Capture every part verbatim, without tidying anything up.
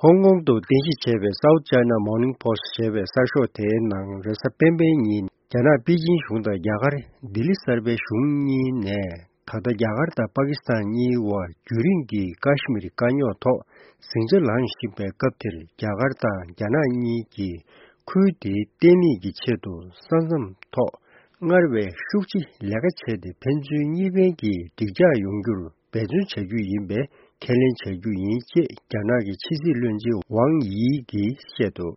ཧོང་ཀོང་དུ་རྟེན་གཞི་བྱས་པའི་South China Morning Post ཞེས་པའི་གསར་ཤོག་དེའི་ནང་རེས་གཟའ་སྤེན་པའི་ཉིན། རྒྱ་ནག་པེ་ཅིན་གཞུང་དང་རྒྱ་གར་ལྡི་ལི་གསར་པའི་གཞུང་གཉིས་ནས། ད་ལྟ་རྒྱ་གར་དང་པ་ཀི་སི་ཐན་གཉིས་དབར་རྒྱུན་རིང་གི་ཀ་ཤི་མིར་དཀའ་རྙོག་ཐོག་ཟིང་ཆ་ལངས་བཞིན་པའི་སྐབས་དེར། རྒྱ་གར་དང་རྒྱ་ནག་གཉིས་ཀྱིས་ཁུལ་དེའི་བརྟན་ལྷིང་གི་ཆེད་དུ་ས་མཚམས་ཐོག་སྔར་བས་ཤུགས་ཆེ་ལས་ཀ་བྱས་ཏེ། ཕན་ཚུན་གཉིས་ཕན་གྱི་འགྲིག་འཇགས་ཡོང་རྒྱུར་འབད་བརྩོན་བྱ་རྒྱུ་ཡིན་པའི་ཁས་ལེན་བྱ་རྒྱུ་ཡིན་ཅེས་རྒྱ་ནག་གི་ཕྱི་སྲིད་བློན་ཆེན་ཝང་ཡི་གིས་བཤད་འདུག་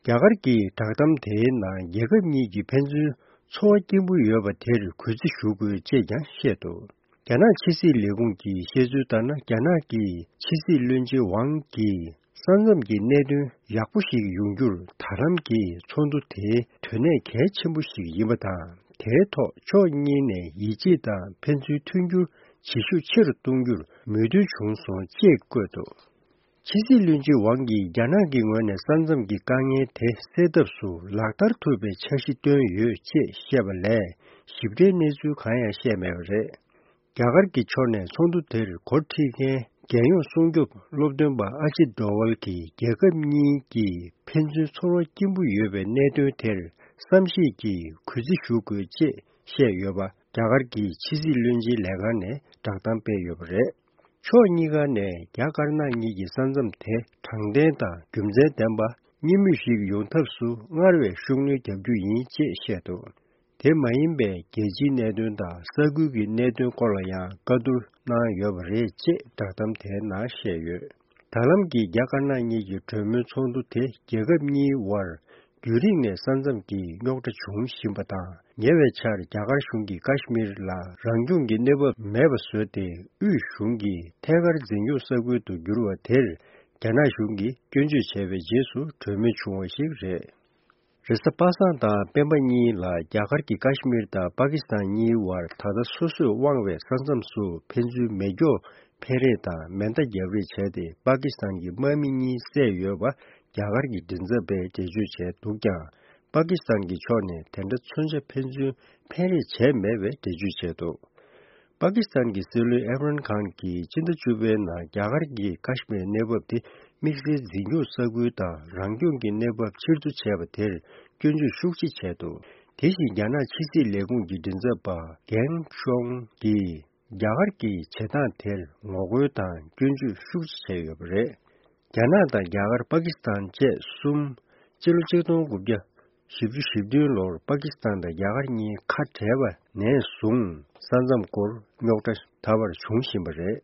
རྒྱ་གར་གྱི་བསྒྲགས་གཏམ་དེའི་ནང་རྒྱལ་ཁབ་གཉིས་ཀྱི་ཕན་ཚུན་ཚོར་བ་སྐྱེན་པོ་ཡོད་པ་དེར་གུས་བརྩི་ཞུ་དགོས་ཅེས་ཀྱང་བཤད་འདུག་རྒྱ་ནག་ཕྱི་སྲིད་ལས་ཁུངས་ཀྱིས་བཤད་ཚུལ་ལྟར་ན། རྒྱ་ནག་གི་ཕྱི་སྲིད་བློན་ཆེན་ཝང་གིས་ས་མཚམས་ཀྱི་གནད་དོན་ཡག་པོ་ཞིག་ཡོང་རྒྱུར། ད་ལམ་གྱི་ཚོགས་འདུ་དེའི་དོན་གནད་གལ་ཆེན་པོ་ཞིག་ཡིན་པ་དང་། དེའི་ཐོག་ཕྱོགས་གཉིས་ནས་ཡིད་ཆེས་དང་ཕན་ཚུན་མཐུན་འགྱུར་བྱེད་ཤུགས་ཆེ་རུ་གཏོང་རྒྱུར་མོས་མཐུན་བྱུང་སོང་ཅེས་བཀོད་འདུག་ཕྱི་སྲིད་བློན་ཆེན་ཝང་གིས་རྒྱ་ནག་གི་ངོས་ནས་ས་མཚམས་ཀྱི་དཀའ་ངལ་དེ་སེལ་ཐབས་སུ་ལག་བསྟར་ཐུབ་པའི་འཆར་གཞི་བཏོན་ཡོད་ཅེས་བཤད་པ་ལས། ཞིབ་ཕྲའི་གནས་ཚུལ་གང་ཡང་བཤད་མེད་པ་རེད། རྒྱ་གར་གྱི་ཕྱོགས་ནས་ཚོགས་འདུ་དེར་འགོ་ཁྲིད་མཁན་རྒྱལ་ཡོངས་སྲུང་སྐྱོབ་སློབ་སྟོན་པ་ཨ་ཇིད་ཌོ་ཝལ་གྱིས། རྒྱལ་ཁབ་གཉིས་ཀྱི་ཕན་ཚུན་ཚོར་བ་སྐྱེན་པོ་ཡོད་པའི་གནད་དོན་དེར་བསམ་ཤེས་ཀྱིས་གུས་བརྩི་ཞུ་དགོས་ཅེས་བཤད་ཡོད་པ། རྒྱ་གར་གྱི་ཕྱི་སྲིད་བློན་ཆེན་ལས་ཁང་ནས་བསྒྲགས་གཏམ་སྤེལ་ཡོད་པ་རེད། ཕྱོགས་གཉིས་ཀ་ནས་རྒྱ་དཀར་ནག་གཉིས་ཀྱི་ས་མཚམས་དེ་དྲང་བདེན་དང་རྒྱུ་མཚན་ལྡན་པ། གཉིས་མོས་ཤིག་ཡོང་ཐབས་སུ་སྔར་བས་ཤུགས་སྣོན་རྒྱག་རྒྱུ་ཡིན་ཅེས་བཤད་འདུག་དེ་མ་ཡིན་པའི་རྒྱལ་སྤྱིའི་གནད་དོན་དང་ས་ཁུལ་གྱི་གནད་དོན་སྐོར་ལ་ཡང་བཀའ་བསྡུར་གནང་ཡོད་པ་རེད་ཅེས་བསྒྲགས་གཏམ་དེའི་ནང་བཤད་ཡོད། ད་ལམ་གྱི་རྒྱ་དཀར་ནག་གཉིས་ཀྱི་གྲོས་མོལ་ཚོགས་འདུ་དེ་རྒྱལ་ཁབ་གཉིས་དབར་རྒྱུན་རིང་ནས་ས་མཚམས་ཀྱི་རྙོག་དྲ་བྱུང་བཞིན་པ་དང་། ཉེ་བའི་ཆར་རྒྱ་གར་གཞུང་གིས་ཀ་ཤི་མིར་ལ་རང་སྐྱོང་གི་གནས་བབ་མེད་པ་བཟོས་ཏེ། དབུས་གཞུང་གིས་ཐད་ཀར་འཛིན་སྐྱོང་ས་ཁུལ་དུ་བསྒྱུར་བ་དེར། རྒྱ་ནག་གཞུང་གིས་སྐྱོན་བརྗོད་བྱས་པའི་རྗེས་སུ་གྲོས་མོལ་བྱུང་བ་ཞིག་རེད། རེས་གཟའ་པ་སངས་དང་སྤེན་པ་གཉིས་ལ་རྒྱ་གར་གྱི་ཀ་ཤི་མིར་དང་པ་ཀི་སི་ཐན་གཉིས་དབར་ད་ལྟ་སོ་སོས་དབང་བའི་ས་མཚམས་སུ་ཕན་ཚུན་མེ་སྒྱོགས་འཕེན་རེས་དང་མེ་མདའ་བརྒྱབ་རེས་བྱས་ཏེ། པ་ཀི་སི་ཐན་གྱི་དམག་མི་གཉིས་བསད་ཡོད་པ་རྒྱ་གར་གྱི་མགྲིན་ཚབ་པས་འགྲེལ་བརྗོད་བྱས་འདུག་ཀྱང་། པ་ཀི་སི་ཐན་གྱི་ཕྱོགས་ནས་དེ་འདྲ་མཚོན་ཆ་ཕན་ཚུན་འཕེན་རེས་བྱས་མེད་པའི་འགྲེལ་བརྗོད་བྱས་འདུག་པ་ཀི་སི་ཐན་གྱི་སྲིད་བློན་ཨེམ་རན་ཁཱན་གྱིས་སྤྱི་ཟླ་བཅུ་པའི་ནང་རྒྱ་གར་གྱི་ཀ་ཤི་མིར་གནས་བབ་དེ་དམིགས་བསལ་འཛིན་སྐྱོང་ས་ཁུལ་དང་རང་སྐྱོང་གི་གནས་བབ་ཕྱིར་བསྡུ་བྱས་པ་དེར་སྐྱོན་བརྗོད་ཤུགས་ཆེ་བྱས་འདུག་དེ་བཞིན་རྒྱ་ནག་ཕྱི་སྲིད་ལས་ཁུངས་ཀྱི་མགྲིན་ཚབ་པ་གྷེང་ཤོང་གིས་རྒྱ་གར་གྱི་བྱེད་སྟངས་དེར་ངོ་རྒོལ་དང་སྐྱོན་བརྗོད་ཤུགས་ཆེ་བྱས་ཡོད་པ་རེད། རྒྱ་ནག་དང་རྒྱ་གར། པ་ཀི་སི་ཐན་བཅས་གསུམ་སྤྱི་ལོ་ཆིག་སྟོང་དགུ་བརྒྱ་བཞི་བཅུ་ཞེ་བདུན་ལོར་པ་ཀི་སི་ཐན་དང་རྒྱ་གར་གཉིས་ཁ་བྲལ་བ་ནས་བཟུང་ས་མཚམས་སྐོར་རྙོག་དྲ་ད་བར་བྱུང་བཞིན་པ་རེད།